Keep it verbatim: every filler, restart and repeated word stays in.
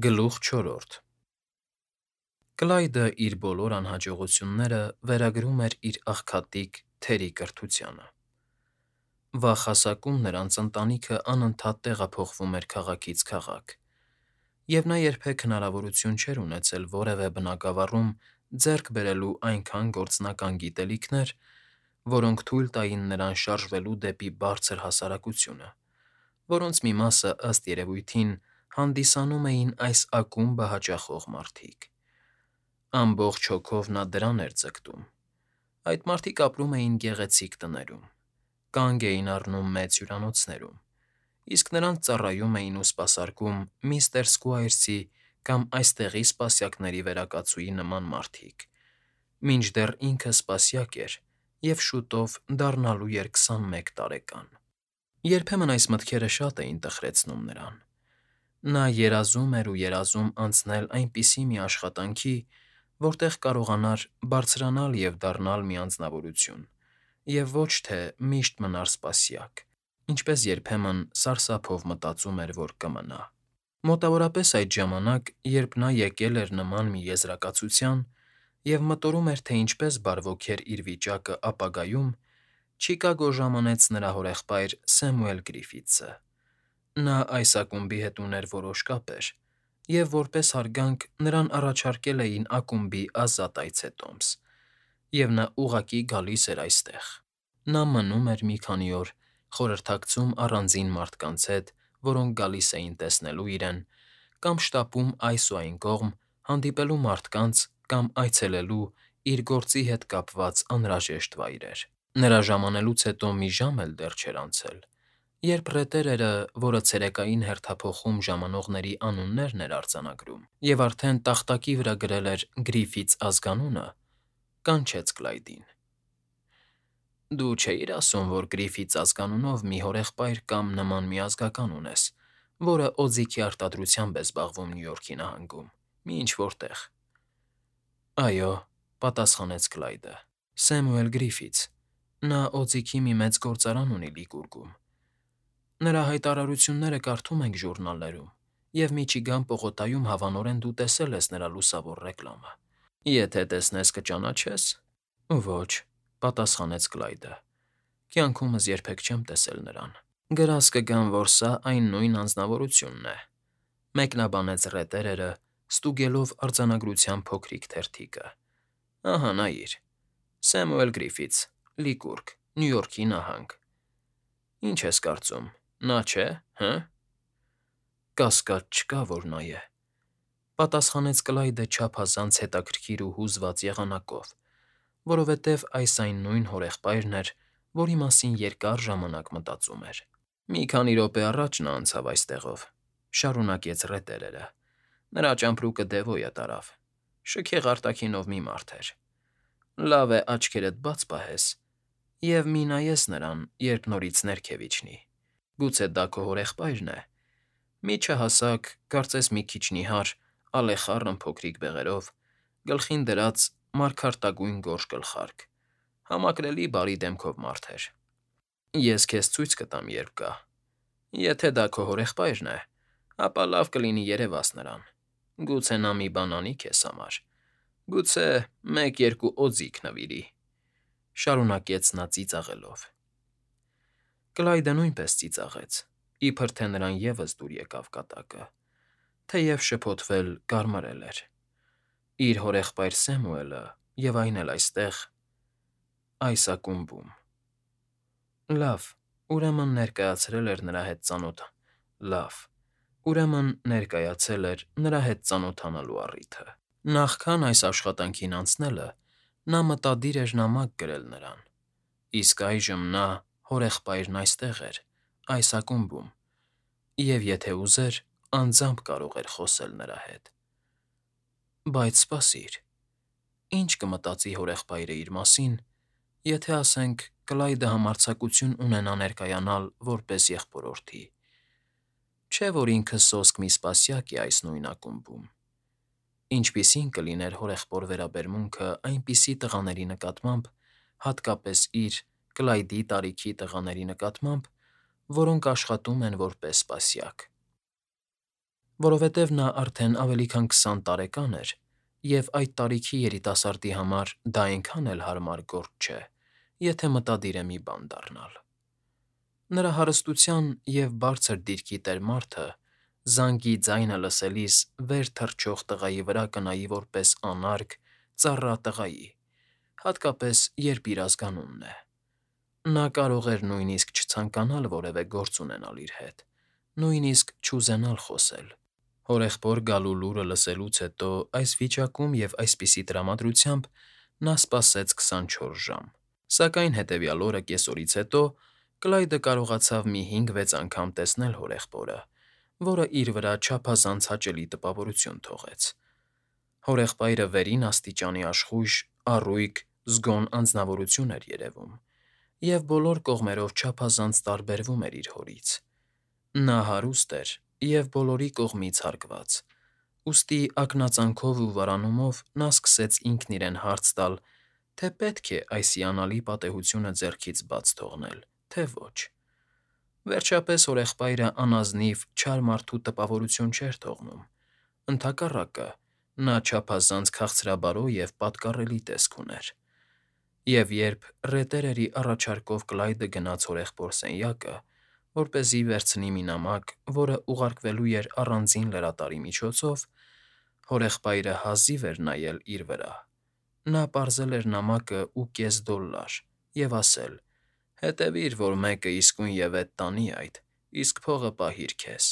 Գլուխ չորրորդ Կլայդը իր բոլոր անհաջողությունները վերագրում էր իր աղքատիկ թերի կրթությանը։ Վաղ հասակում նրանց ընտանիքը անընդհատ տեղափոխվում էր քաղաքից քաղաք, և նա երբեք հնարավորություն չէր ունեցել որևէ բնակավարում ձեռք բերելու այնքան գործնական գիտելիքներ, որոնք թույլ տային նրան շարժվելու դեպի բարձր հասարակությունը, որոնց մի մասը, ըստ երևույթին, հանդիսանում էին այս ակումբը հաճախող մարդիկ։ Ամբողջ հոգով նա դրան էր ձգտում։ Այդ մարդիկ ապրում էին գեղեցիկ տներում, կանգ էին առնում մեծ հյուրանոցներում, իսկ նրանց ծառայում էին ու սպասարկում միստր Սքվայրսի կամ այստեղի սպասյակների վերակացուի նման մարդիկ, մինչդեռ ինքը սպասյակ էր և շուտով դառնալու էր քսանմեկ տարեկան։ Երբեմն այս մտքերը շատ էին տխրեցնում նրան։ Նա երազում էր ու երազում անցնել այնպիսի մի աշխատանքի, որտեղ կարողանար բարձրանալ և դառնալ մի անձնավորություն, և ոչ թե միշտ մնար սպասյակ, ինչպես երբեմն սարսափով մտածում էր, որ կմնա։ Մոտավորապես այդ ժամանակ, երբ նա եկել էր նման մի եզրակացության և մտորում էր, թե ինչպես բարվոքեր իր վիճակը ապագայում, Չիկագո ժամանեց նրա հորեղբայր Սեմուել Գրիֆիթսը։ Նա այս ակումբի հետ ուներ որոշ կապեր, և որպես հարգանք նրան առաջարկել էին ակումբի ազատ այցետոմս, և նա ուղղակի գալիս էր այստեղ։ Նա մնում էր մի քանի օր, խորհրդակցում առանձին մարդկանց հետ, որոնք գալիս էին տեսնելու իրեն, կամ շտապում այս ու այն կողմ, հանդիպելու մարդկանց կամ այցելելու իր գործի հետ կապված անհրաժեշտ վայրեր։ Նրա ժամանելուց հետո մի ժամ էլ դեռ չէր անցել, երբ ռետերերը, որը ցերեկային հերթափոխում ժամանողների անուններն էր արձանագրում, և արդեն տախտակի վրա գրել էր Գրիֆիթս ազգանունը, կանչեց Կլայդին։ ֊ Դու չէիր ասում, որ Գրիֆիթս ազգանունով մի հորեղբայր կամ նման մի ազգական ունես, որը օձիքի արտադրությամբ է զբաղվում Նյու Յորքի նահանգում, մի ինչ֊որ տեղ։ ֊ Այո,֊ պատասխանեց Կլայդը,֊ Սեմուել Գրիֆիթս, նա օձիքի մի մեծ գործարան ունի Լիկուրգում։ Նրա հայտարարությունները կարդում ենք ժուրնալներում, և Միչիգան պողոտայում հավանորեն դու տեսել ես նրա լուսավոր ռեկլամը։ Եթե տեսնես կճանաչե՞ս։ ֊ Ոչ,֊ պատասխանեց Կլայդը,֊ կյանքումս երբեք չեմ տեսել նրան։ ֊ Գրազ կգամ, որ սա այն նույն անձնավորությունն է,֊ մեկնաբանեց ռետերերը, ստուգելով արձանագրության փոքրիկ թերթիկը։ ֊ Ահա նայիր. Սեմուել Գրիֆիթս, Լիկուրգ, Նյու Յորքի նահանգ։ Ինչ ես կարծում, նա չէ, հը՞։ ֊ Կասկած չկա, որ նա է,֊ պատասխանեց Կլայդը չափազանց հետաքրքիր ու հուզված եղանակով, որովհետև այս այն նույն հորեղբայրն էր, որի մասին երկար ժամանակ մտածում էր։ ֊ Մի քանի րոպե առաջ նա անցավ այստեղով,֊ շարունակեց ռետերերը,֊ նրա ճամպրուկը Դևոյը տարավ, շքեղ արտաքինով մի մարդ էր։ Լավ է աչքերդ բաց պահես և մի նայես նրան, երբ նորից ներքև իջնի։ Գուցե դա քո հորեղբայրն է։ Միջահասակ, կարծես մի քիչ նիհար, ալեխառն փոքրիկ բեղերով, գլխին դրած մարգարտագույն գորշ գլխարկ, համակրելի բարի դեմքով մարդ էր։ Ես քեզ ցույց կտամ, երբ գա։ Եթե դա քո հորեղբայրն է, ապա լավ կլինի երևաս նրան, գուցե նա մի բան անի քեզ համար, գուցե մեկ֊երկու օձիք նվիրի,֊ շարունակեց նա ծիծաղելով։ Կլայդը նույնպես ծիծաղեց, իբր թե նրան ևս դուր եկավ կատակը, թեև շփոթվել կարմարել էր։ Իր հորեղբայր Սեմուելը և այն էլ այստեղ, այս ակումբում… Լավ, ուրեմն ներկայացրել էր նրա հետ ծանոթ… Լավ, ուրեմն ներկայացել էր նրա հետ ծանոթանալու առիթը։ Նախքան այս աշխատանքին անցնելը նա մտադիր էր նամակ գրել նրան, իսկ այժմ նա, հորեղբայրն այստեղ էր, այս ակումբում, և եթե ուզեր, անձամբ կարող էր խոսել նրա հետ։ Բայց սպասիր… Ի՞նչ կմտածի հորեղբայրը իր մասին, եթե, ասենք, Կլայդը համարձակություն ունենա ներկայանալ որպես եղբորորդի։ Չէ՞ որ ինքը սոսկ մի սպասյակ է այս նույն ակումբում։ Ինչպիսի՞ն կլիներ հորեղբոր վերաբերմունքը այնպիսի տղաների նկատմամբ, հատկապես իր՝ Կլայդի տարիքի տղաների նկատմամբ, որոնք աշխատում են որպես սպասյակ։ Որովհետև նա արդեն ավելի քան քսան տարեկան էր, և այդ տարիքի երիտասարդի համար դա այնքան էլ հարմար գործ չէ, եթե մտադիր է մի բան դառնալ։ Նրա հարստության և բարձր դիրքի տեր մարդը զանգի ձայնը լսելիս վեր թռչող տղայի վրա կնայի որպես անարգ, ծառա տղայի, հատկապես, երբ իր ազգանունն է։ Նա կարող էր նույնիսկ չցանկանալ որևէ գործ ունենալ իր հետ, նույնիսկ չուզենալ խոսել։ Հորեղբոր գալու լուրը լսելուց հետո այս վիճակում և այսպիսի տրամադրությամբ նա սպասեց քսանչորս ժամ, սակայն հետևյալ օրը կեսօրից հետո Կլայդը կարողացավ մի հինգ֊վեց անգամ տեսնել հորեղբորը, որը իր վրա չափազանց հաճելի տպավորություն թողեց։ Հորեղբայրը վերին աստիճանի աշխույժ, առույգ, զգոն անձնավորություն էր երևում և բոլոր կողմերով չափազանց տարբերվում էր իր հորից։ Նա հարուստ էր և բոլորի կողմից հարգված, ուստի ակնածանով ու վարանումով նա սկսեց ինքն իրեն հարց տալ, թե պետք է այս հիանալի պատեհությունը ձեռքից բաց թողնել, թե ոչ։ Վերջապես հորեղբայրը անազնիվ, չար մարդու տպավորություն չէր թողնում, ընդհակառակը, նա չափազանց քաղցրաբարո և պատկառելի տեսք ուներ։ Եվ երբ ռետերերի առաջարկով Կլայդը գնաց հորեղբոր սենյակը, որպեսզի վերցնի մի նամակ, որը ուղարկվելու էր առանձին լրատարի միջոցով, հորեղբայրը հազիվ էր նայել իր վրա. նա պարզել էր նամակը ու կես դոլլար և ասել. «Հետևի՛ր, որ մեկը իսկույնևեթ տանի այդ, իսկ փողը պահիր քեզ»։